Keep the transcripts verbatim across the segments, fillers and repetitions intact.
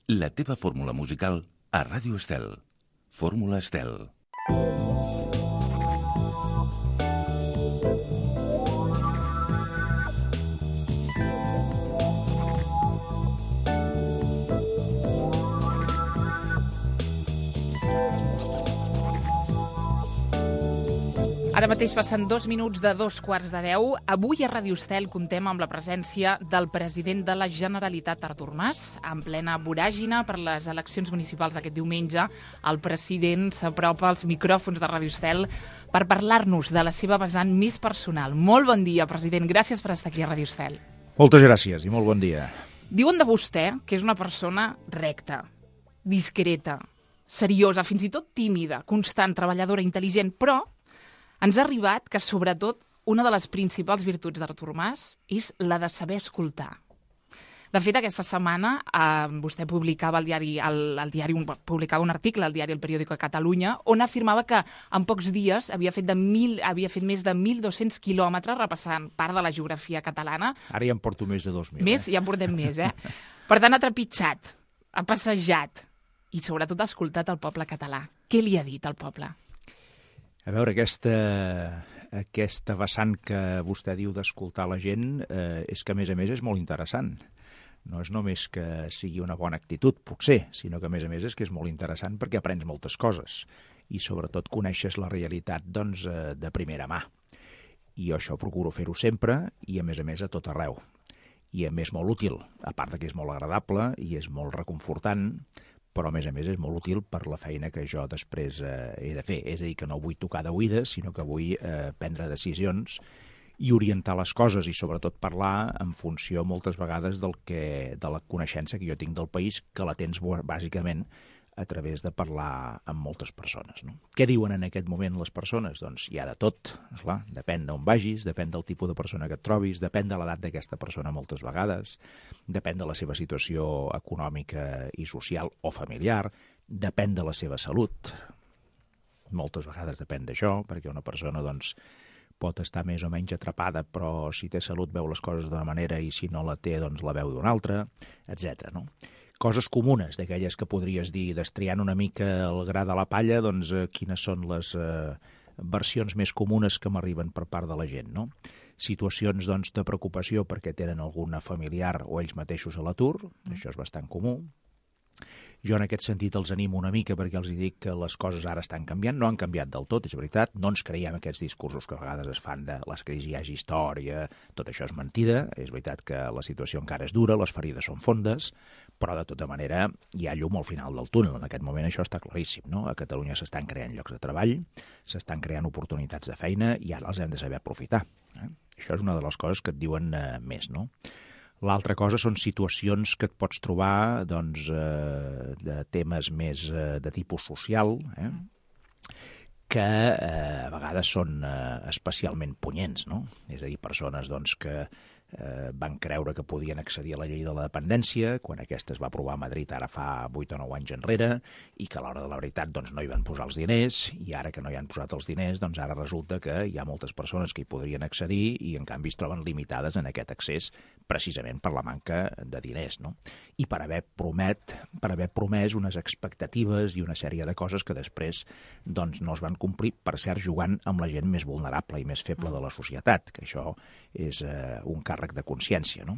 La teva fórmula musical a Ràdio Estel. Fórmula Estel. Ara mateix passen dos minuts de dos quarts de deu. Avui a Ràdio Estel contem amb la presència del president de la Generalitat, Artur Mas. En plena voràgina per les eleccions municipals d'aquest diumenge, el president s'apropa als micròfons de Ràdio Estel per parlar-nos de la seva vessant més personal. Molt bon dia, president. Gràcies per estar aquí a Ràdio Estel. Moltes gràcies i molt bon dia. Diuen de vostè que és una persona recta, discreta, seriosa, fins i tot tímida, constant, treballadora, intel·ligent, però ens ha arribat que, sobretot, una de les principals virtuts d'Artur Mas és la de saber escoltar. De fet, aquesta setmana eh, vostè publicava al diari, al, al diari un, publicava un article al diari El Periódico de Catalunya on afirmava que en pocs dies havia fet, de mil, havia fet més de mil dos-cents quilòmetres repassant part de la geografia catalana. Ara ja en porto més de dos mil. Més? Eh? Ja en portem més, eh? Per tant, ha trepitjat, ha passejat i, sobretot, ha escoltat el poble català. Què li ha dit al poble? A veure, aquesta, aquesta vessant que vostè diu d'escoltar la gent eh, és que, a més a més, és molt interessant. No és només que sigui una bona actitud, potser, sinó que, a més a més, és que és molt interessant perquè aprens moltes coses i, sobretot, coneixes la realitat doncs, eh, de primera mà. I això procuro fer-ho sempre i, a més a més, a tot arreu. I, a més, molt útil, a part que és molt agradable i és molt reconfortant, però, a més a més, és molt útil per la feina que jo després eh, he de fer. És a dir, que no vull tocar d'oïdes, sinó que vull eh, prendre decisions i orientar les coses i, sobretot, parlar en funció, moltes vegades, del que, de la coneixença que jo tinc del país, que la tens, bàsicament, a través de parlar amb moltes persones. No? Què diuen en aquest moment les persones? Doncs hi ha de tot, esclar, depèn d'on vagis, depèn del tipus de persona que et trobis, depèn de l'edat d'aquesta persona moltes vegades, depèn de la seva situació econòmica i social o familiar, depèn de la seva salut, moltes vegades depèn d'això, perquè una persona doncs, pot estar més o menys atrapada, però si té salut veu les coses d'una manera i si no la té doncs la veu d'una altra, etcètera. No? Coses comunes, d'aquelles que podries dir, destriant una mica el gra de la palla, doncs eh, quines són les eh, versions més comunes que m'arriben per part de la gent, no? Situacions doncs, de preocupació perquè tenen alguna familiar o ells mateixos a l'atur, mm. això és bastant comú. Jo en aquest sentit els animo una mica perquè els dic que les coses ara estan canviant, no han canviat del tot, és veritat, no ens creiem aquests discursos que a vegades es fan de les crisis hi hagi història, tot això és mentida, és veritat que la situació encara és dura, les ferides són fondes, però de tota manera hi ha llum al final del túnel, en aquest moment això està claríssim, no? A Catalunya s'estan creant llocs de treball, s'estan creant oportunitats de feina i ara els hem de saber aprofitar. Eh? Això és una de les coses que et diuen eh, més, no? L'altra cosa són situacions que et pots trobar doncs, eh, de temes més eh, de tipus social, eh, que eh, a vegades són eh, especialment punyents, no? És a dir, persones doncs, que eh, van creure que podien accedir a la llei de la dependència quan aquesta es va aprovar a Madrid ara fa vuit o nou anys enrere i que a l'hora de la veritat doncs, no hi van posar els diners i ara que no hi han posat els diners doncs ara resulta que hi ha moltes persones que hi podrien accedir i en canvi es troben limitades en aquest accés precisament per la manca de diners, no? I per haver promet, per haver promès unes expectatives i una sèrie de coses que després doncs, no es van complir, per cert, jugant amb la gent més vulnerable i més feble de la societat, que això és eh, un càrrec de consciència, no?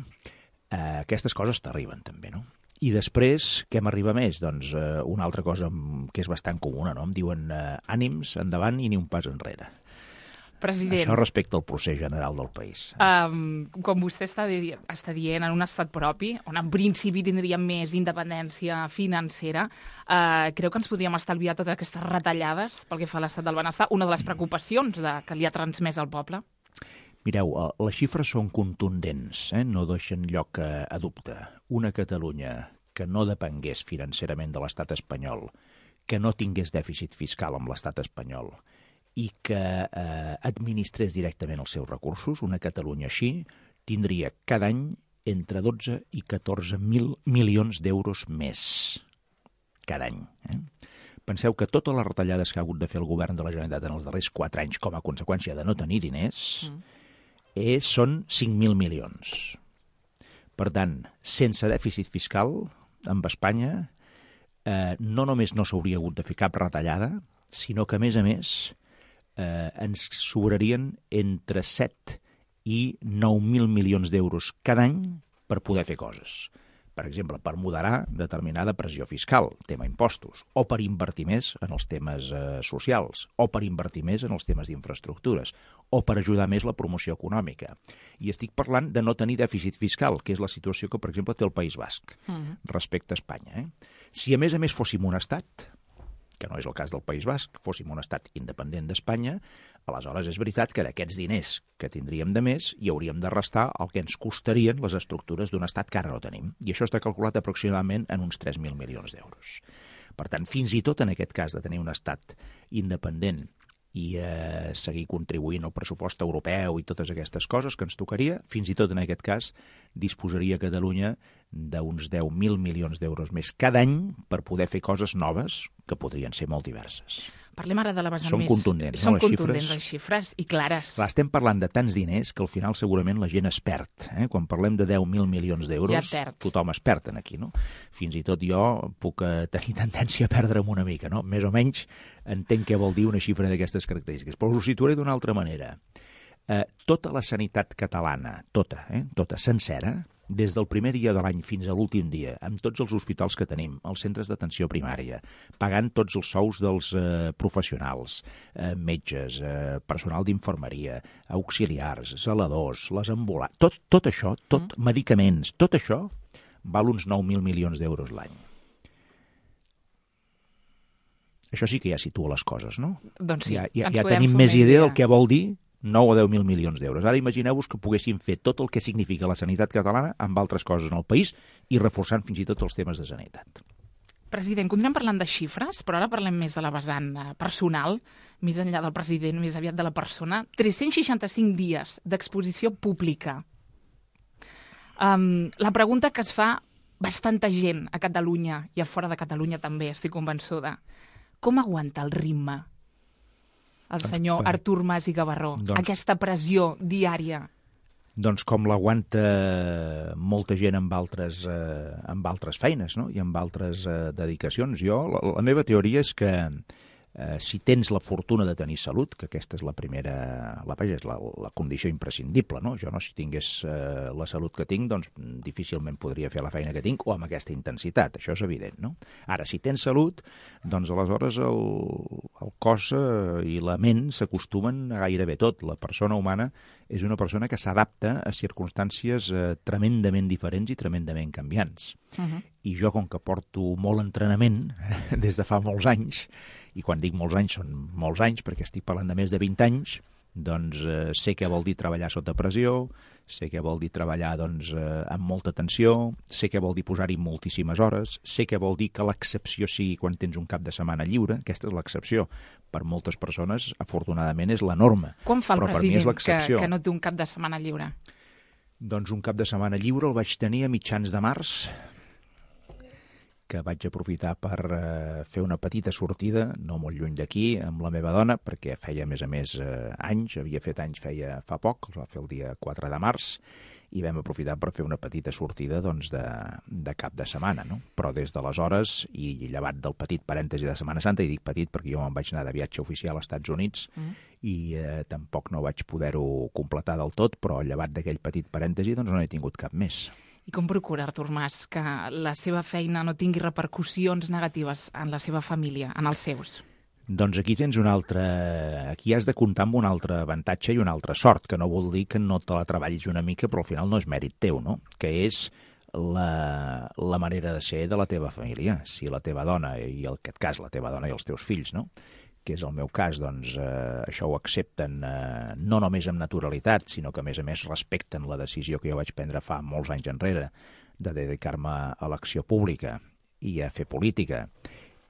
Eh, aquestes coses t'arriben també, no? I després, què m'arriba més? Doncs eh, una altra cosa que és bastant comuna, no? Em diuen eh, ànims, endavant i ni un pas enrere. President, això respecte al procés general del país. Um, com vostè està, di està dient, en un estat propi, on en principi tindríem més independència financera, uh, creu que ens podríem estalviar totes aquestes retallades pel que fa a l'estat del benestar? Una de les preocupacions de, que li ha transmès al poble? Mireu, les xifres són contundents, eh? No deixen lloc a, a dubte. Una Catalunya que no depengués financerament de l'estat espanyol, que no tingués dèficit fiscal amb l'estat espanyol, i que eh, administrés directament els seus recursos, una Catalunya així, tindria cada any entre dotze i catorze mil milions d'euros més. Cada any. Eh? Penseu que totes les retallades que ha hagut de fer el govern de la Generalitat en els darrers quatre anys com a conseqüència de no tenir diners mm. eh, són cinc mil milions. Per tant, sense dèficit fiscal, amb Espanya, eh, no només no s'hauria hagut de fer cap retallada, sinó que, a més a més, eh, ens sobrarien entre set i nou mil milions d'euros cada any per poder fer coses. Per exemple, per moderar determinada pressió fiscal, tema impostos, o per invertir més en els temes eh, socials, o per invertir més en els temes d'infraestructures, o per ajudar més la promoció econòmica. I estic parlant de no tenir dèficit fiscal, que és la situació que, per exemple, té el País Basc uh-huh. respecte a Espanya. Eh? Si, a més a més, fóssim un estat, que no és el cas del País Basc, fóssim un estat independent d'Espanya, aleshores és veritat que d'aquests diners que tindríem de més hi hauríem de restar el que ens costarien les estructures d'un estat que ara no tenim. I això està calculat aproximadament en uns tres mil milions d'euros. Per tant, fins i tot en aquest cas de tenir un estat independent i eh, seguir contribuint al pressupost europeu i totes aquestes coses que ens tocaria, fins i tot en aquest cas disposaria Catalunya d'uns deu mil milions d'euros més cada any per poder fer coses noves que podrien ser molt diverses. Parlem ara de la vessant Són més... contundents, Són no, les contundents, xifres? les xifres, i clares. Clar, estem parlant de tants diners que al final segurament la gent es perd. Eh? Quan parlem de deu mil milions d'euros, ja tothom es perd aquí, no? Fins i tot jo puc eh, tenir tendència a perdre'm una mica, no? Més o menys entenc què vol dir una xifra d'aquestes característiques. Però us ho situaré d'una altra manera. Eh, tota la sanitat catalana, tota, eh? tota, sencera, des del primer dia de l'any fins a l'últim dia, amb tots els hospitals que tenim, els centres d'atenció primària, pagant tots els sous dels eh, professionals, eh, metges, eh, personal d'infermeria, auxiliars, zeladors, les ambulants, tot, tot això, tot, mm. medicaments, tot això val uns nou mil milions d'euros l'any. Això sí que ja situa les coses, no? Doncs sí, ja, ja, ens ja podem tenim fer més una idea idea del que vol dir nou o deu mil milions d'euros. Ara imagineu-vos que poguéssim fer tot el que significa la sanitat catalana amb altres coses en el país i reforçant fins i tot els temes de sanitat. President, continuem parlant de xifres, però ara parlem més de la vessant personal, més enllà del president, més aviat de la persona. tres-cents seixanta-cinc dies d'exposició pública. Um, la pregunta que es fa bastanta gent a Catalunya i a fora de Catalunya també, estic convençuda. Com aguanta el ritme el doncs, senyor per... Artur Mas i Gavarró, doncs... aquesta pressió diària? Doncs com l'aguanta molta gent amb altres, eh, amb altres feines, no? I amb altres eh, dedicacions. Jo, la, la meva teoria és que eh, si tens la fortuna de tenir salut, que aquesta és la primera, la, és la, la condició imprescindible, no? Jo no, si tingués eh, la salut que tinc, doncs difícilment podria fer la feina que tinc o amb aquesta intensitat, això és evident, no? Ara, si tens salut, doncs aleshores el, el cos eh, i la ment s'acostumen a gairebé tot. La persona humana és una persona que s'adapta a circumstàncies eh, tremendament diferents i tremendament canviants. Uh-huh. I jo, com que porto molt entrenament des de fa molts anys, i quan dic molts anys són molts anys perquè estic parlant de més de vint anys, doncs eh, sé què vol dir treballar sota pressió, sé què vol dir treballar doncs, eh, amb molta tensió, sé què vol dir posar-hi moltíssimes hores, sé què vol dir que l'excepció sigui quan tens un cap de setmana lliure, aquesta és l'excepció. Per moltes persones, afortunadament, és la norma. Com fa el però president per mi és que, que no té un cap de setmana lliure? Doncs un cap de setmana lliure el vaig tenir a mitjans de març, que vaig aprofitar per eh, fer una petita sortida, no molt lluny d'aquí, amb la meva dona, perquè feia, a més a més, eh, anys, havia fet anys feia fa poc, els va fer el dia quatre de març, i vam aprofitar per fer una petita sortida doncs, de, de cap de setmana, no? Però des d'aleshores, i llevat del petit parèntesi de Setmana Santa, i dic petit perquè jo me'n vaig anar de viatge oficial als Estats Units, mm. i eh, tampoc no vaig poder-ho completar del tot, però llevat d'aquell petit parèntesi doncs no he tingut cap més. I com procura Artur Mas que la seva feina no tingui repercussions negatives en la seva família, en els seus? Doncs aquí tens un altre... Aquí has de comptar amb un altre avantatge i una altra sort, que no vol dir que no te la treballis una mica, però al final no és mèrit teu, no? Que és la, la manera de ser de la teva família. Si la teva dona, i en aquest cas la teva dona i els teus fills, no?, que és el meu cas, doncs eh, això ho accepten eh, no només amb naturalitat, sinó que a més a més respecten la decisió que jo vaig prendre fa molts anys enrere de dedicar-me a l'acció pública i a fer política,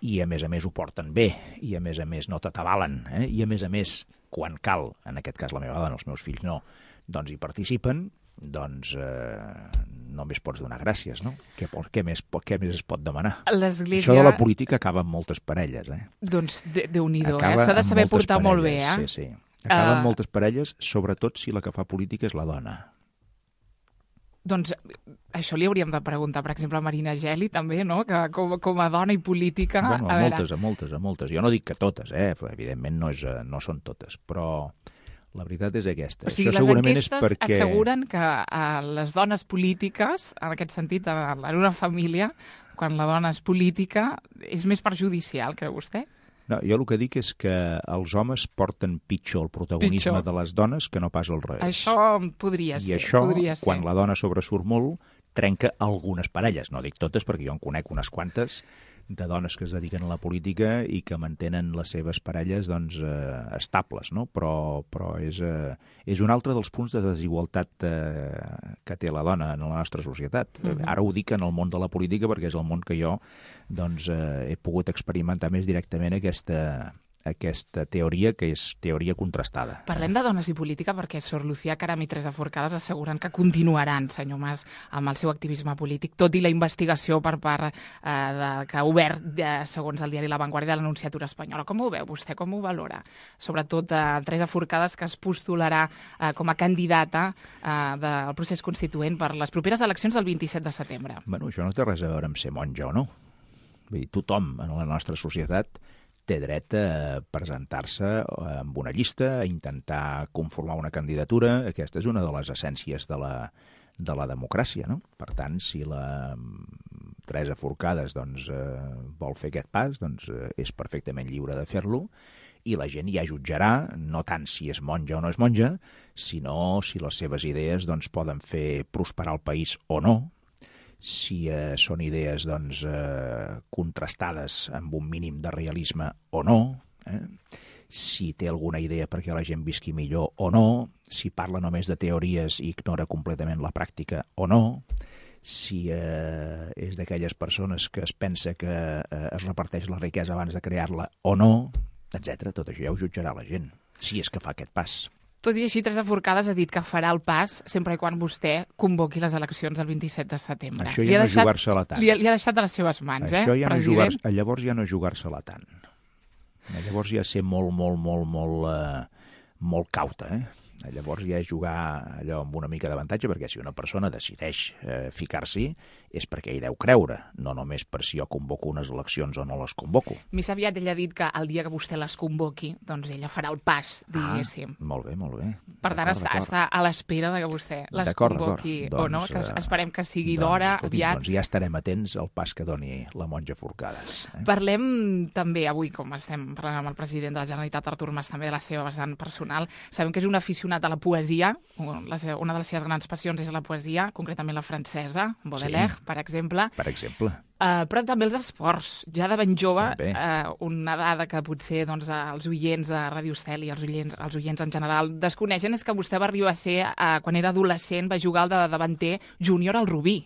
i a més a més ho porten bé, i a més a més no t'atabalen, eh? I a més a més, quan cal, en aquest cas la meva dona, els meus fills no, doncs hi participen, doncs eh, només pots donar gràcies, no? Què, què, més, què més es pot demanar? L'Església... Això de la política acaba amb moltes parelles, eh? Doncs Déu-n'hi-do, eh? S'ha de saber portar parelles, molt bé, eh? Sí, sí. Acaba uh... amb moltes parelles, sobretot si la que fa política és la dona. Doncs això li hauríem de preguntar, per exemple, a Marina Geli, també, no? Que com, com a dona i política... Bueno, a, a moltes, veure... a moltes, a moltes. Jo no dic que totes, eh? Evidentment no, és, no són totes, però la veritat és aquesta. O sigui, això les segurament enquestes és perquè... asseguren que a les dones polítiques, en aquest sentit, en una família, quan la dona és política, és més perjudicial, creu vostè? No, jo el que dic és que els homes porten pitjor el protagonisme pitjor. de les dones que no pas al revés. Això podria ser. I això, podria ser. quan la dona sobresurt molt, trenca algunes parelles. No dic totes, perquè jo en conec unes quantes de dones que es dediquen a la política i que mantenen les seves parelles doncs, eh, estables, no? Però, però és, eh, és un altre dels punts de desigualtat eh, que té la dona en la nostra societat. Uh-huh. Ara ho dic en el món de la política perquè és el món que jo doncs, eh, he pogut experimentar més directament aquesta, aquesta teoria, que és teoria contrastada. Parlem de dones i política perquè Sor Lucía Caram i Teresa Forcades asseguren que continuaran, senyor Mas, amb el seu activisme polític, tot i la investigació per part eh, de, que ha obert, de, segons el diari La Vanguardia, de l'Anunciatura Espanyola. Com ho veu vostè? Com ho valora? Sobretot eh, Teresa Forcades, que es postularà eh, com a candidata eh, del procés constituent per les properes eleccions del vint-i-set de setembre. Bueno, això no té res a veure amb ser monja o no. Vull dir, tothom en la nostra societat té dret a presentar-se amb una llista, a intentar conformar una candidatura. Aquesta és una de les essències de la, de la democràcia, no? Per tant, si la Teresa Forcades doncs, eh, vol fer aquest pas, doncs eh, és perfectament lliure de fer-lo, i la gent ja jutjarà, no tant si és monja o no és monja, sinó si les seves idees doncs, poden fer prosperar el país o no, si eh, són idees doncs, eh, contrastades amb un mínim de realisme o no, eh? Si té alguna idea perquè la gent visqui millor o no, si parla només de teories i ignora completament la pràctica o no, si eh, és d'aquelles persones que es pensa que eh, es reparteix la riquesa abans de crear-la o no, etcètera. Tot això ja ho jutjarà la gent, si és que fa aquest pas. Tot i així, Teresa Forcades ha dit que farà el pas sempre i quan vostè convoqui les eleccions del vint-i-set de setembre. Això ja no és jugar-se-la tant. Li ha, li ha deixat de les seves mans, Això eh, ja no president? Jugar, llavors ja no és jugar-se-la tant. Llavors ja ser molt, molt, molt, molt, eh, molt cauta, eh? Llavors ja és jugar allò amb una mica d'avantatge, perquè si una persona decideix eh, ficar-s'hi és perquè hi deu creure, no només per si jo convoco unes eleccions o no les convoco. Més aviat ella ha dit que el dia que vostè les convoqui, doncs ella farà el pas, diguéssim. Ah, molt bé, molt bé. Per tant, està, està a l'espera de que vostè les convoqui doncs, o no, que esperem que sigui doncs, d'hora, escolti, aviat. Doncs ja estarem atents al pas que doni la monja Forcades. Eh? Parlem també avui, com estem parlant amb el president de la Generalitat, Artur Mas, també de la seva vessant personal. Sabem que és un aficionat a la poesia, una de les seves grans passions és la poesia, concretament la francesa, Baudelaire, sí, per exemple. Per exemple. Uh, però també els esports. Ja de ben jove, uh, una dada que potser doncs, els oients de Ràdio Estel i els oients, els oients en general desconeixen és que vostè va arribar a ser, uh, quan era adolescent, va jugar al de davanter júnior al Rubí.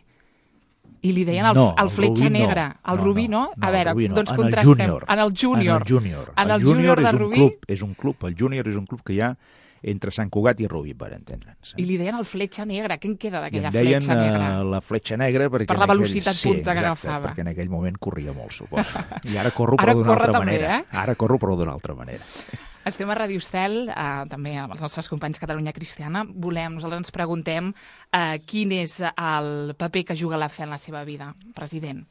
I li deien el, no, el fletxa Rubí negra. No. El no, Rubí, no? no A veure, no. doncs en contrastem. El en el júnior. En el júnior. En el, el júnior júnior de és un Rubí... club, és un club. El júnior és un club que hi ha entre Sant Cugat i Rubí, per entendre'ns. I li deien el fletxa negra. Què en queda d'aquella fletxa negra? fletxa negra? Uh, la fletxa negra perquè... Per la velocitat aquell... punta sí, que exacte, agafava. perquè en aquell moment corria molt, suposo. I ara corro ara però d'una altra també, manera. Eh? Ara corro però d'una altra manera. Estem a Ràdio Estel, eh, també amb els nostres companys Catalunya Cristiana. Volem, nosaltres ens preguntem eh, quin és el paper que juga la fe en la seva vida, president.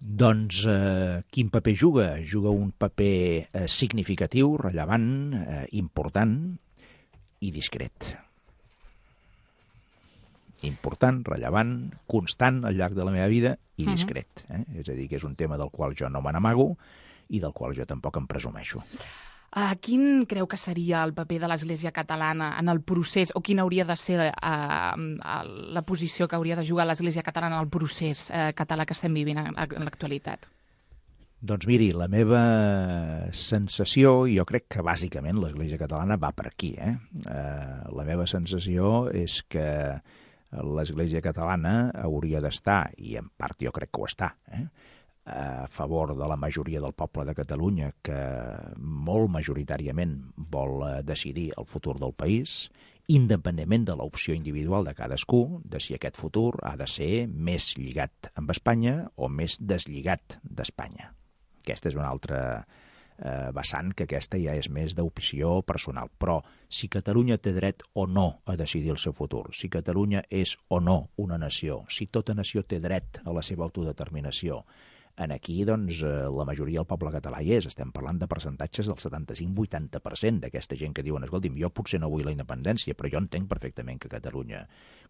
Doncs eh, quin paper juga? Juga un paper eh, significatiu, rellevant, eh, important i discret. Important, rellevant, constant al llarg de la meva vida i discret. Eh? És a dir, que és un tema del qual jo no me n'amago i del qual jo tampoc em presumeixo. Uh, quin creu que seria el paper de l'Església catalana en el procés, o quina hauria de ser uh, uh, la posició que hauria de jugar l'Església catalana en el procés uh, català que estem vivint en, en l'actualitat? Doncs miri, la meva sensació, i jo crec que bàsicament l'Església catalana va per aquí, eh? Uh, la meva sensació és que l'Església catalana hauria d'estar, i en part jo crec que ho està, eh? a favor de la majoria del poble de Catalunya, que molt majoritàriament vol decidir el futur del país, independentment de l'opció individual de cadascú, de si aquest futur ha de ser més lligat amb Espanya o més deslligat d'Espanya. Aquesta és una altra eh, vessant que aquesta ja és més d'opció personal. Però si Catalunya té dret o no a decidir el seu futur, si Catalunya és o no una nació, si tota nació té dret a la seva autodeterminació, en aquí, doncs, la majoria del poble català hi és. Estem parlant de percentatges del setanta-cinc vuitanta per cent d'aquesta gent que diuen, escolti'm, jo potser no vull la independència, però jo entenc perfectament que Catalunya,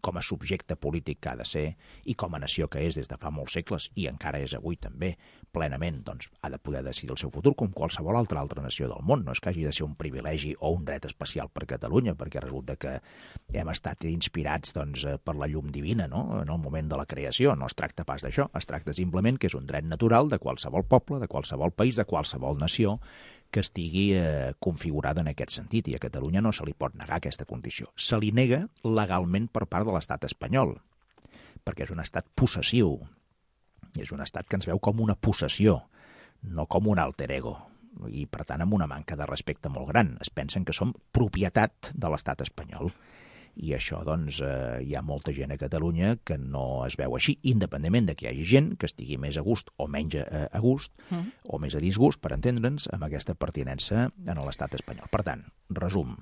com a subjecte polític que ha de ser, i com a nació que és des de fa molts segles, i encara és avui també, plenament, doncs, ha de poder decidir el seu futur com qualsevol altra altra nació del món. No és que hagi de ser un privilegi o un dret especial per Catalunya, perquè resulta que hem estat inspirats, doncs, per la llum divina, no?, en el moment de la creació. No es tracta pas d'això, es tracta simplement que és un dret natural de qualsevol poble, de qualsevol país, de qualsevol nació que estigui eh, configurada en aquest sentit, i a Catalunya no se li pot negar aquesta condició. Se li nega legalment per part de l'estat espanyol, perquè és un estat possessiu, és un estat que ens veu com una possessió, no com un alter ego, i per tant amb una manca de respecte molt gran. Es pensen que som propietat de l'estat espanyol. I això, doncs, eh, hi ha molta gent a Catalunya que no es veu així, independentment de que hi hagi gent que estigui més a gust o menys a, a gust, mm. o més a disgust, per entendre'ns, amb aquesta pertinença en l'estat espanyol. Per tant, resum,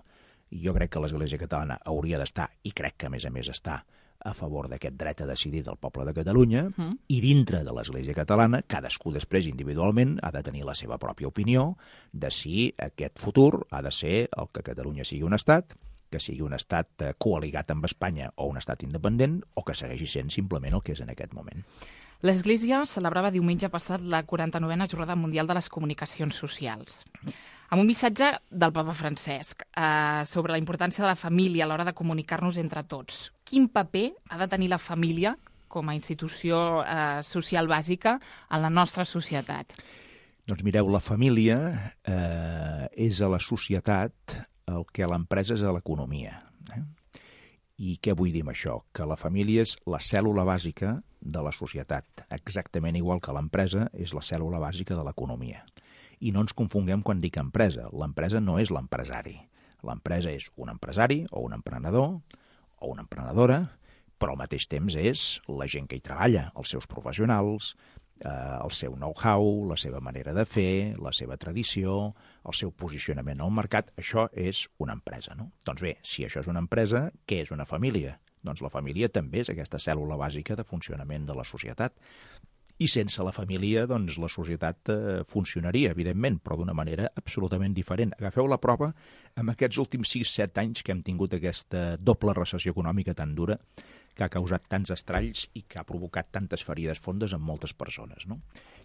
jo crec que l'Església Catalana hauria d'estar, i crec que a més a més està, a favor d'aquest dret a decidir del poble de Catalunya, mm. i dintre de l'Església Catalana, cadascú després individualment ha de tenir la seva pròpia opinió de si aquest futur ha de ser el que Catalunya sigui un estat, que sigui un estat coaligat amb Espanya o un estat independent, o que segueixi sent simplement el que és en aquest moment. L'Església celebrava diumenge passat la quaranta-novena Jornada Mundial de les Comunicacions Socials, amb un missatge del papa Francesc eh, sobre la importància de la família a l'hora de comunicar-nos entre tots. Quin paper ha de tenir la família com a institució eh, social bàsica en la nostra societat? Doncs mireu, la família eh, és a la societat el que l'empresa és a l'economia. Eh? I què vull dir amb això? Que la família és la cèl·lula bàsica de la societat, exactament igual que l'empresa és la cèl·lula bàsica de l'economia. I no ens confonguem quan dic empresa. L'empresa no és l'empresari. L'empresa és un empresari o un emprenedor o una emprenedora, però al mateix temps és la gent que hi treballa, els seus professionals, eh, el seu know-how, la seva manera de fer, la seva tradició, el seu posicionament al mercat. Això és una empresa, no? Doncs bé, si això és una empresa, què és una família? Doncs la família també és aquesta cèl·lula bàsica de funcionament de la societat. I sense la família, doncs, la societat eh, funcionaria, evidentment, però d'una manera absolutament diferent. Agafeu la prova amb aquests últims sis set anys que hem tingut aquesta doble recessió econòmica tan dura, que ha causat tants estralls i que ha provocat tantes ferides fondes en moltes persones, no?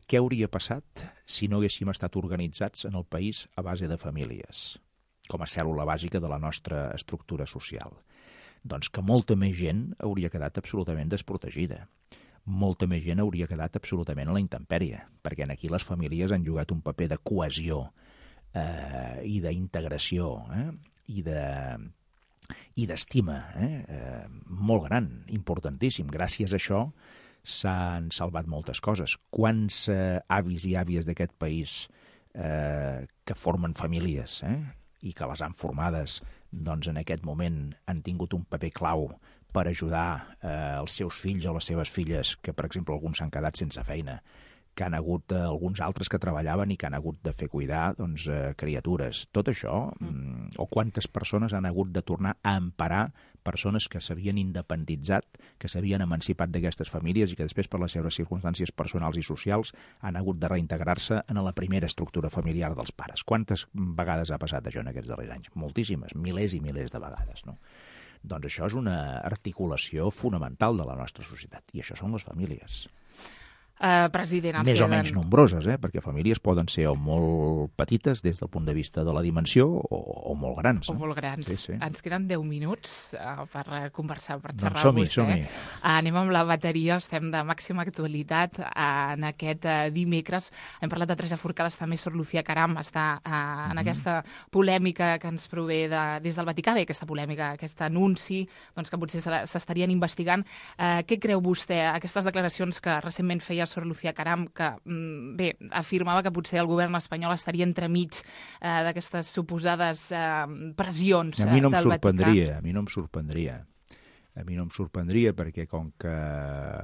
Què hauria passat si no haguéssim estat organitzats en el país a base de famílies, com a cèl·lula bàsica de la nostra estructura social? Doncs que molta més gent hauria quedat absolutament desprotegida. Molta més gent hauria quedat absolutament a la intempèrie, perquè aquí les famílies han jugat un paper de cohesió eh, i d'integració eh, i de i d'estima eh, eh, molt gran, importantíssim. Gràcies a això s'han salvat moltes coses. Quants eh, avis i àvies d'aquest país eh, que formen famílies eh, i que les han formades, doncs en aquest moment han tingut un paper clau per ajudar eh, els seus fills o les seves filles, que per exemple alguns s'han quedat sense feina, que han hagut eh, alguns altres que treballaven i que han hagut de fer cuidar doncs, eh, criatures. Tot això, mm, o quantes persones han hagut de tornar a emparar persones que s'havien independitzat, que s'havien emancipat d'aquestes famílies i que després per les seves circumstàncies personals i socials han hagut de reintegrar-se en la primera estructura familiar dels pares. Quantes vegades ha passat això en aquests darrers anys? Moltíssimes, milers i milers de vegades, no? Doncs això és una articulació fonamental de la nostra societat, i això són les famílies. Uh, president, Més queden... o menys nombroses, eh? Perquè famílies poden ser o molt petites des del punt de vista de la dimensió o, o molt grans. O eh? molt grans. Sí, sí. Ens queden deu minuts uh, per uh, conversar, per xerrar doncs som-hi, amb vostè. som-hi. Uh, anem amb la bateria, estem de màxima actualitat uh, en aquest uh, dimecres. Hem parlat de Teresa Forcades, també Sor Lucía Caram està uh, en mm-hmm. aquesta polèmica que ens prové de, des del Vaticà, bé, aquesta polèmica, aquest anunci doncs, que potser s'estarien investigant. Uh, què creu vostè, aquestes declaracions que recentment feia Sor Lucía Caram, que bé, afirmava que potser el govern espanyol estaria entremig eh, d'aquestes suposades eh, pressions a mi no em del sorprendria, Vaticà? A mi no em sorprendria. A mi no em sorprendria perquè com que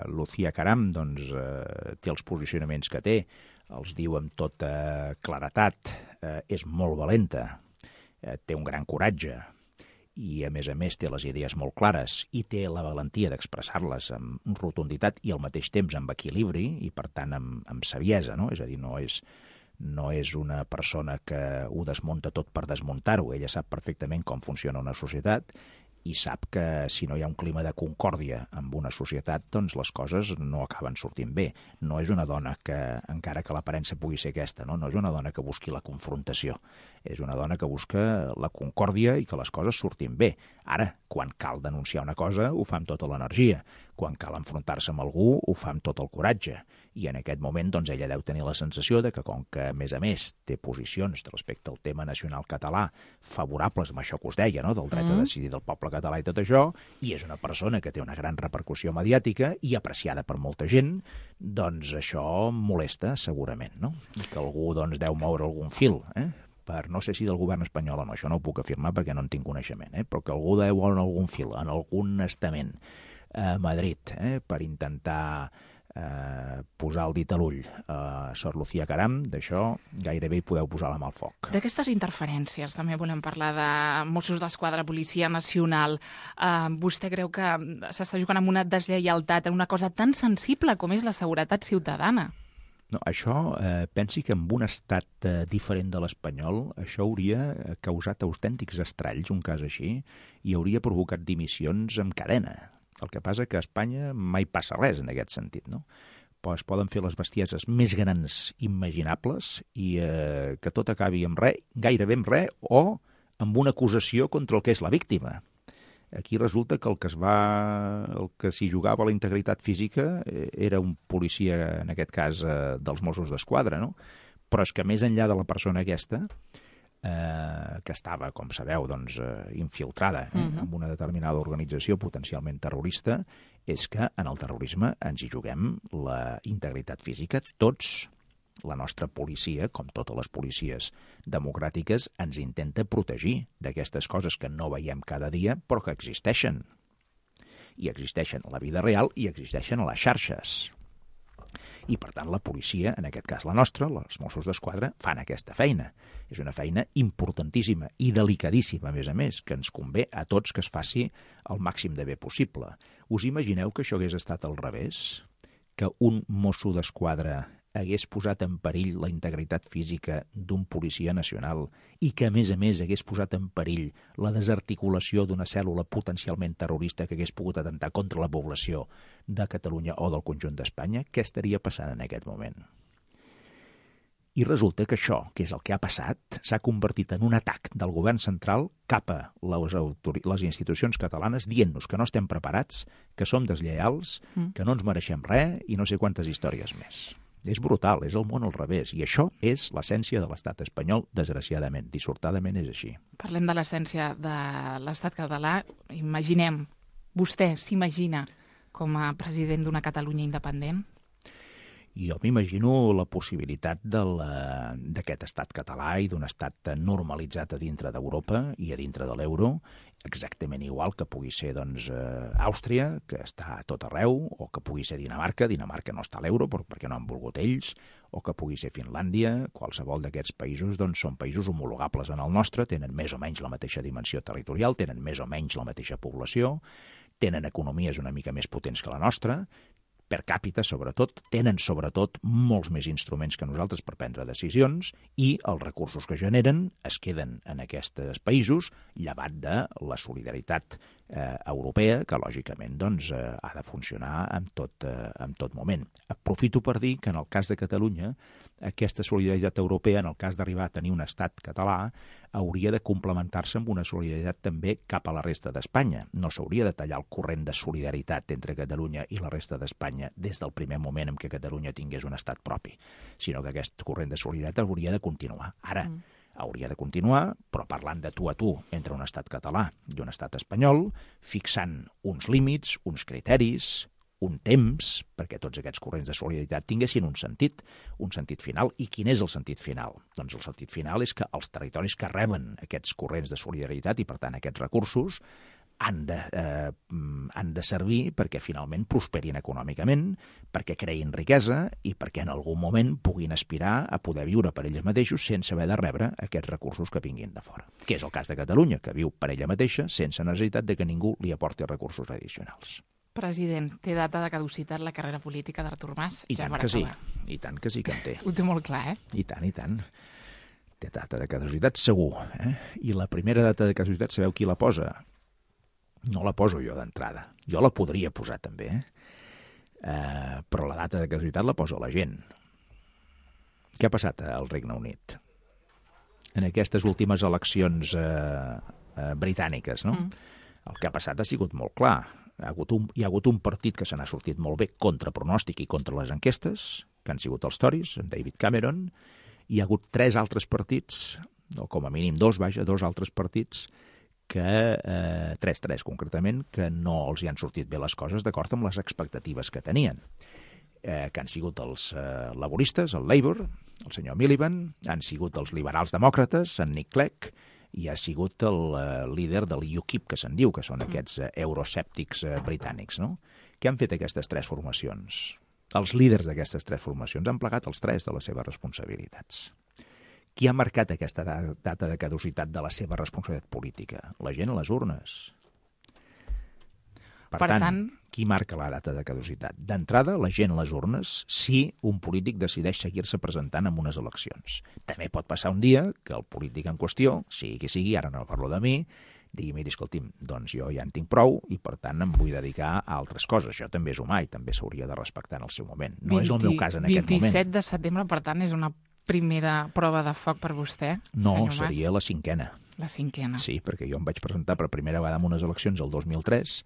Lucía Caram doncs, eh, té els posicionaments que té, els diu amb tota claretat, eh, és molt valenta, eh, té un gran coratge, i a més a més té les idees molt clares i té la valentia d'expressar-les amb rotunditat i al mateix temps amb equilibri i per tant amb, amb saviesa, no? És a dir, no és, no és una persona que ho desmunta tot per desmuntar-ho, ella sap perfectament com funciona una societat i sap que si no hi ha un clima de concòrdia amb una societat, doncs les coses no acaben sortint bé. No és una dona que, encara que l'aparença pugui ser aquesta, no, no és una dona que busqui la confrontació. És una dona que busca la concòrdia i que les coses surtin bé. Ara, quan cal denunciar una cosa, ho fa amb tota l'energia. Quan cal enfrontar-se amb algú, ho fa amb tot el coratge. I en aquest moment, doncs, ella deu tenir la sensació de que, com que, a més a més, té posicions respecte al tema nacional català favorables amb això que us deia, no?, del dret mm. a decidir del poble català i tot això, i és una persona que té una gran repercussió mediàtica i apreciada per molta gent, doncs això molesta segurament, no? I que algú, doncs, deu moure algun fil, eh? Per, no sé si del govern espanyol o no, això no ho puc afirmar perquè no en tinc coneixement, eh? Però que algú deu moure algun fil, en algun estament a Madrid, eh? Per intentar eh, posar el dit a l'ull a Sor Lucía Caram, d'això gairebé hi podeu posar la mà al foc. D'aquestes interferències també volem parlar de Mossos d'Esquadra, Policia Nacional. Eh, vostè creu que s'està jugant amb una deslleialtat en una cosa tan sensible com és la seguretat ciutadana? No, això, eh, pensi que en un estat eh, diferent de l'espanyol, això hauria causat autèntics estralls, un cas així, i hauria provocat dimissions en cadena. El que passa que a Espanya mai passa res en aquest sentit, no? Però es poden fer les bestieses més grans imaginables i eh, que tot acabi amb res, gairebé amb res, o amb una acusació contra el que és la víctima. Aquí resulta que el que es va, el que s'hi jugava la integritat física era un policia, en aquest cas, eh, dels Mossos d'Esquadra, no? Però és que més enllà de la persona aquesta, eh, que estava, com sabeu, doncs, eh, infiltrada eh, uh-huh. en una determinada organització potencialment terrorista, és que en el terrorisme ens hi juguem la integritat física tots. La nostra policia, com totes les policies democràtiques, ens intenta protegir d'aquestes coses que no veiem cada dia, però que existeixen. I existeixen a la vida real i existeixen a les xarxes. I, per tant, la policia, en aquest cas la nostra, els Mossos d'Esquadra, fan aquesta feina. És una feina importantíssima i delicadíssima, a més a més, que ens convé a tots que es faci el màxim de bé possible. Us imagineu que això hagués estat al revés? Que un Mosso d'Esquadra hagués posat en perill la integritat física d'un policia nacional i que, a més a més, hagués posat en perill la desarticulació d'una cèl·lula potencialment terrorista que hagués pogut atentar contra la població de Catalunya o del conjunt d'Espanya, què estaria passant en aquest moment? I resulta que això, que és el que ha passat, s'ha convertit en un atac del govern central cap a les, autori- les institucions catalanes dient-nos que no estem preparats, que som deslleials, mm. que no ens mereixem res i no sé quantes històries més. És brutal, és el món al revés. I això és l'essència de l'estat espanyol, desgraciadament. Dissortadament és així. Parlem de l'essència de l'estat català. Imaginem, vostè s'imagina com a president d'una Catalunya independent? Jo m'imagino la possibilitat de la, d'aquest estat català i d'un estat normalitzat a dintre d'Europa i a dintre de l'euro, exactament igual que pugui ser doncs, eh, Àustria, que està a tot arreu, o que pugui ser Dinamarca, Dinamarca no està a l'euro perquè no han volgut ells, o que pugui ser Finlàndia, qualsevol d'aquests països doncs, són països homologables en el nostre, tenen més o menys la mateixa dimensió territorial, tenen més o menys la mateixa població, tenen economies una mica més potents que la nostra, per càpita, sobretot, tenen sobretot molts més instruments que nosaltres per prendre decisions i els recursos que generen es queden en aquests països llevat de la solidaritat eh, europea, que lògicament doncs, eh, ha de funcionar en tot, eh, en tot moment. Aprofito per dir que en el cas de Catalunya aquesta solidaritat europea, en el cas d'arribar a tenir un estat català, hauria de complementar-se amb una solidaritat també cap a la resta d'Espanya. No s'hauria de tallar el corrent de solidaritat entre Catalunya i la resta d'Espanya des del primer moment en què Catalunya tingués un estat propi, sinó que aquest corrent de solidaritat hauria de continuar. Ara, mm. hauria de continuar, però parlant de tu a tu entre un estat català i un estat espanyol, fixant uns límits, uns criteris, un temps, perquè tots aquests corrents de solidaritat tinguessin un sentit, un sentit final. I quin és el sentit final? Doncs el sentit final és que els territoris que reben aquests corrents de solidaritat i, per tant, aquests recursos, han de, eh, han de servir perquè finalment prosperin econòmicament, perquè creïn riquesa i perquè en algun moment puguin aspirar a poder viure per ells mateixos sense haver de rebre aquests recursos que vinguin de fora. Que és el cas de Catalunya, que viu per ella mateixa sense necessitat de que ningú li aporti recursos addicionals. President, té data de caducitat la carrera política d'Artur Mas? I ja tant que sí, i tant que sí que en té. Ho té molt clar, eh? I tant, i tant. Té data de caducitat segur. Eh? I la primera data de caducitat, sabeu qui la posa? No la poso jo d'entrada. Jo la podria posar també, eh? Eh, però la data de caducitat la posa la gent. Què ha passat al Regne Unit? En aquestes últimes eleccions eh, eh, britàniques, no? Mm. El que ha passat ha sigut molt clar. Hi ha hagut un, hi ha hagut un partit que se n'ha sortit molt bé contra pronòstic i contra les enquestes, que han sigut els Tories, en David Cameron. Hi ha hagut tres altres partits, o com a mínim dos, vaja, dos altres partits, que, eh, tres, tres concretament, que no els hi han sortit bé les coses d'acord amb les expectatives que tenien. Eh, que han sigut els eh, laboristes, el Labour, el senyor Miliband, han sigut els liberals demòcrates, en Nick Clegg, i ha sigut el eh, líder del U KIP, que se'n diu, que són aquests eh, euroscèptics eh, britànics, no? Què han fet aquestes tres formacions? Els líders d'aquestes tres formacions han plegat els tres de les seves responsabilitats. Qui ha marcat aquesta data de caducitat de la seva responsabilitat política? La gent a les urnes. Per, per tant, tant, qui marca la data de caducitat? D'entrada, la gent a les urnes, si un polític decideix seguir-se presentant en unes eleccions. També pot passar un dia que el polític en qüestió, sigui qui sigui, ara no parlo de mi, digui, miri, escolti'm, doncs jo ja en tinc prou i, per tant, em vull dedicar a altres coses. Això també és humà i també s'hauria de respectar en el seu moment. No vint, és el meu cas en aquest moment. vint-i-set de setembre, per tant, és una primera prova de foc per vostè, no, senyor Mas? No, seria la cinquena. La cinquena. Sí, perquè jo em vaig presentar per primera vegada en unes eleccions el dos mil tres,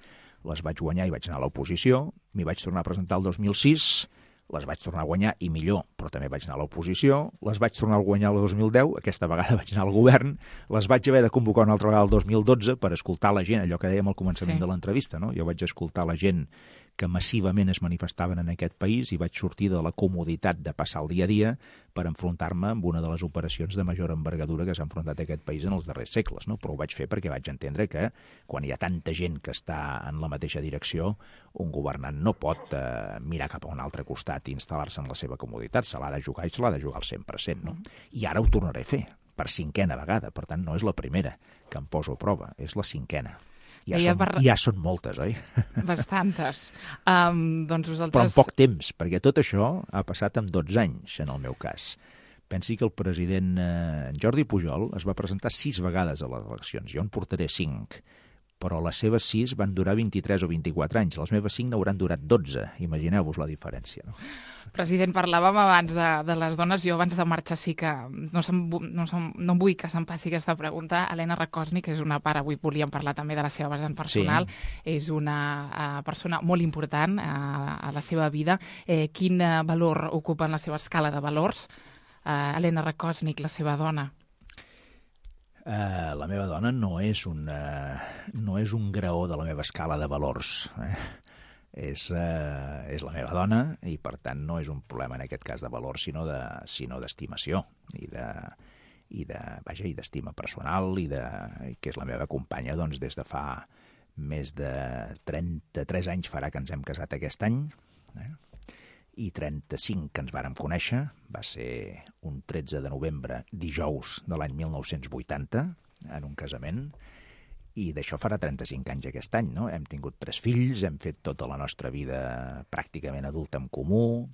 les vaig guanyar i vaig anar a l'oposició, m'hi vaig tornar a presentar el dos mil sis, les vaig tornar a guanyar i millor, però també vaig anar a l'oposició, les vaig tornar a guanyar el dos mil deu, aquesta vegada vaig anar al govern, les vaig haver de convocar una altra vegada el dos mil dotze per escoltar la gent, allò que dèiem al començament sí. de l'entrevista, no? Jo vaig escoltar la gent que massivament es manifestaven en aquest país i vaig sortir de la comoditat de passar el dia a dia per enfrontar-me amb una de les operacions de major envergadura que s'ha enfrontat a aquest país en els darrers segles, no? Però ho vaig fer perquè vaig entendre que quan hi ha tanta gent que està en la mateixa direcció, un governant no pot eh, mirar cap a un altre costat i instal·lar-se en la seva comoditat, se l'ha de jugar i se l'ha de jugar al cent per cent, no? I ara ho tornaré a fer, per cinquena vegada, per tant no és la primera que em poso a prova, és la cinquena. Ja són, per... ja són moltes, oi? Bastantes. Um, doncs vosaltres... Però en poc temps, perquè tot això ha passat en dotze anys, en el meu cas. Pensi que el president eh, Jordi Pujol es va presentar sis vegades a les eleccions. Jo en portaré cinc, però les seves sis van durar vint-i-tres o vint-i-quatre anys. Les meves cinc n'hauran durat dotze. Imagineu-vos la diferència, no? President, parlàvem abans de, de les dones. Jo abans de marxar sí que no, se'm, no, se'm, no vull que se'm passi aquesta pregunta. Helena Rakosnik, que és una part, avui volíem parlar també de la seva vessant personal, sí. És una uh, persona molt important uh, a la seva vida. Eh, quin uh, valor ocupa en la seva escala de valors? Uh, Helena Rakosnik, la seva dona. Uh, la meva dona no és, un, uh, no és un graó de la meva escala de valors. Eh? És, uh, és la meva dona i, per tant, no és un problema en aquest cas de valor, sinó de, sinó d'estimació i de, i de, vaja, i d'estima personal i de, que és la meva companya doncs, des de fa més de trenta-tres anys farà que ens hem casat aquest any, eh? I trenta-cinc que ens vàrem conèixer, va ser un tretze de novembre, dijous de l'any mil nou-cents vuitanta, en un casament, i d'això farà trenta-cinc anys aquest any, no? Hem tingut tres fills, hem fet tota la nostra vida pràcticament adulta en comú,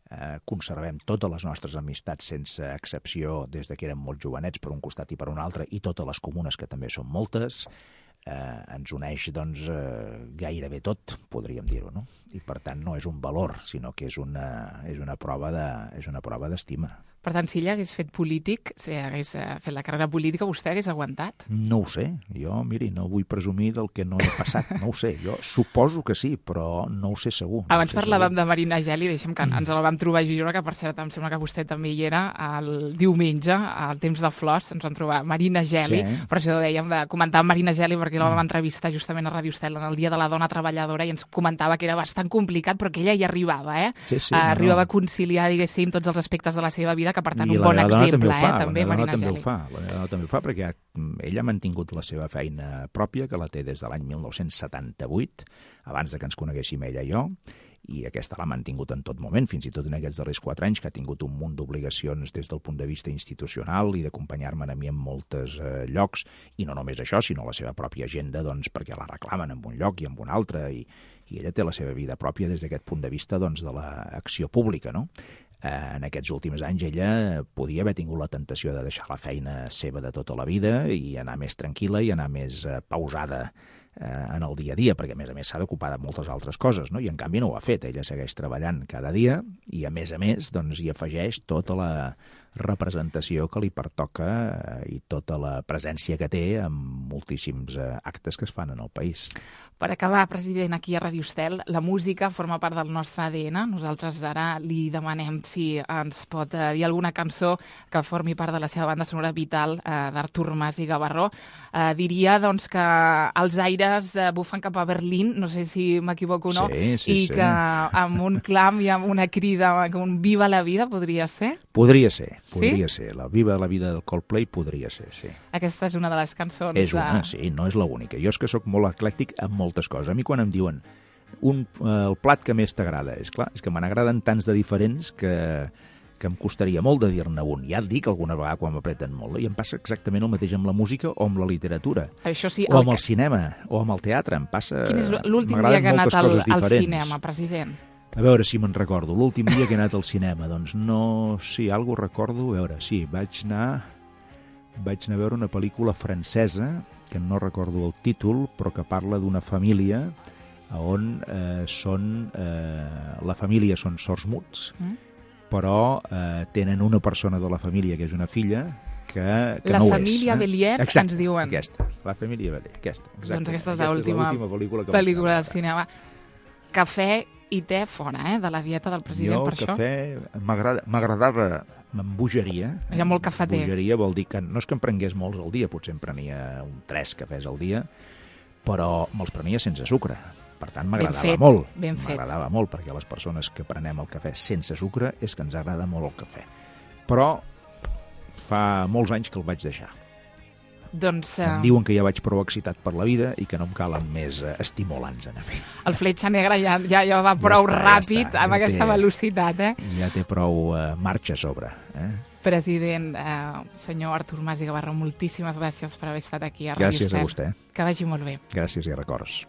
eh, conservem totes les nostres amistats sense excepció des de que érem molt jovenets per un costat i per un altre, i totes les comunes, que també són moltes. Eh, ens uneix doncs, eh, gairebé tot, podríem dir-ho, no? I per tant no és un valor, sinó que és una, és una prova de, és una prova d'estima. Per tant, si ella hagués fet polític, si hagués fet la carrera política, vostè hagués aguantat? No ho sé. Jo, miri, no vull presumir del que no he passat. No ho sé. Jo suposo que sí, però no ho sé segur. No Abans parlàvem segur. de Marina Geli, deixem que ens la vam trobar a Girona, que per cert em sembla que vostè també hi era, el diumenge, al Temps de Flors, ens vam trobar Marina Geli, sí. Per això dèiem de comentar Marina Geli, perquè la vam entrevistar justament a Ràdio Estel en el Dia de la Dona Treballadora i ens comentava que era bastant complicat, però que ella hi arribava, eh? Sí, sí, uh, no, arribava no. a conciliar, diguéssim, tots els aspectes de la seva vida, que, per tant, I un la bon meva dona exemple, també ho fa, eh, també, la meva dona Marina també Geli. ho fa, la meva dona també ho fa perquè ella ha mantingut la seva feina pròpia, que la té des de l'any mil nou-cents setanta-vuit, abans de que ens coneguéssim ella i jo, i aquesta l'ha mantingut en tot moment, fins i tot en aquests darrers quatre anys, que ha tingut un munt d'obligacions des del punt de vista institucional i d'acompanyar-me a mi en molts eh, llocs, i no només això, sinó la seva pròpia agenda, doncs, perquè la reclamen en un lloc i en un altre, i, i ella té la seva vida pròpia des d'aquest punt de vista, doncs, de l'acció pública, no? En aquests últims anys ella podia haver tingut la tentació de deixar la feina seva de tota la vida i anar més tranquil·la i anar més eh, pausada eh, en el dia a dia, perquè a més a més s'ha d'ocupar de moltes altres coses, no? I en canvi no ho ha fet, ella segueix treballant cada dia i a més a més doncs, hi afegeix tota la representació que li pertoca eh, i tota la presència que té en moltíssims eh, actes que es fan en el país. Per acabar, president, aquí a Ràdio Estel, la música forma part del nostre A D N. Nosaltres ara li demanem si ens pot eh, dir alguna cançó que formi part de la seva banda sonora vital eh, d'Artur Mas i Gavarró. Eh, diria doncs, que els aires eh, bufen cap a Berlín, no sé si m'equivoco o no, Sí, sí, i sí. que amb un clam i amb una crida, com un viva la vida, podria ser? Podria ser, podria Sí? ser. La Viva la vida del Coldplay podria ser, sí. Aquesta és una de les cançons. És una, de... sí, no és l'única. Jo és que sóc molt eclèctic amb moltes coses. A mi quan em diuen un, eh, el plat que més t'agrada, és clar, és que me n'agraden tants de diferents que, que em costaria molt de dir-ne un. Ja et dic alguna vegada quan m'apreten molt, i em passa exactament el mateix amb la música o amb la literatura, Això sí, o el amb que- el cinema, o amb el teatre. Em passa... Quin és l'últim m'agraden dia que ha anat moltes al, coses al diferents. cinema, president? A veure si me'n recordo. L'últim dia que he anat al cinema, doncs no... Sí, algo recordo. A veure, sí, vaig anar... Vaig anar a veure una pel·lícula francesa, que no recordo el títol, però que parla d'una família on eh, són... Eh, la família són sords muts, Mm? però eh, tenen una persona de la família, que és una filla, que, que La no ho família és. Bélier, Exacte, ens diuen. aquesta. La família Bélier, aquesta. Exacte. Doncs aquesta és Aquesta l'última pel·lícula que vaig pel·lícula anar a del veure. cinema. Cafè i te fora, eh, de la dieta del president, Jo, per el això. cafè m'agrada- m'agradava, m'embogeria. Hi ha molt cafeter. Embogeria vol dir que no és que en prengués molts al dia, potser en prenia un tres cafès al dia, però me'ls prenia sense sucre. Per tant, m'agradava fet, molt. ben fet. M'agradava molt, perquè les persones que prenem el cafè sense sucre és que ens agrada molt el cafè. Però fa molts anys que el vaig deixar. Doncs Em eh, diuen que ja vaig prou excitat per la vida i que no em calen més eh, estimulants a mi. el fletxa negra ja, ja, ja va prou està, ja ràpid, està, amb ja aquesta té- velocitat, eh? Ja té prou eh, marxa a sobre. Eh? President, eh, senyor Artur Mas i Gavarró, moltíssimes gràcies per haver estat aquí a Ràdio Gràcies a Estel. vostè. Que vagi molt bé. Gràcies i records.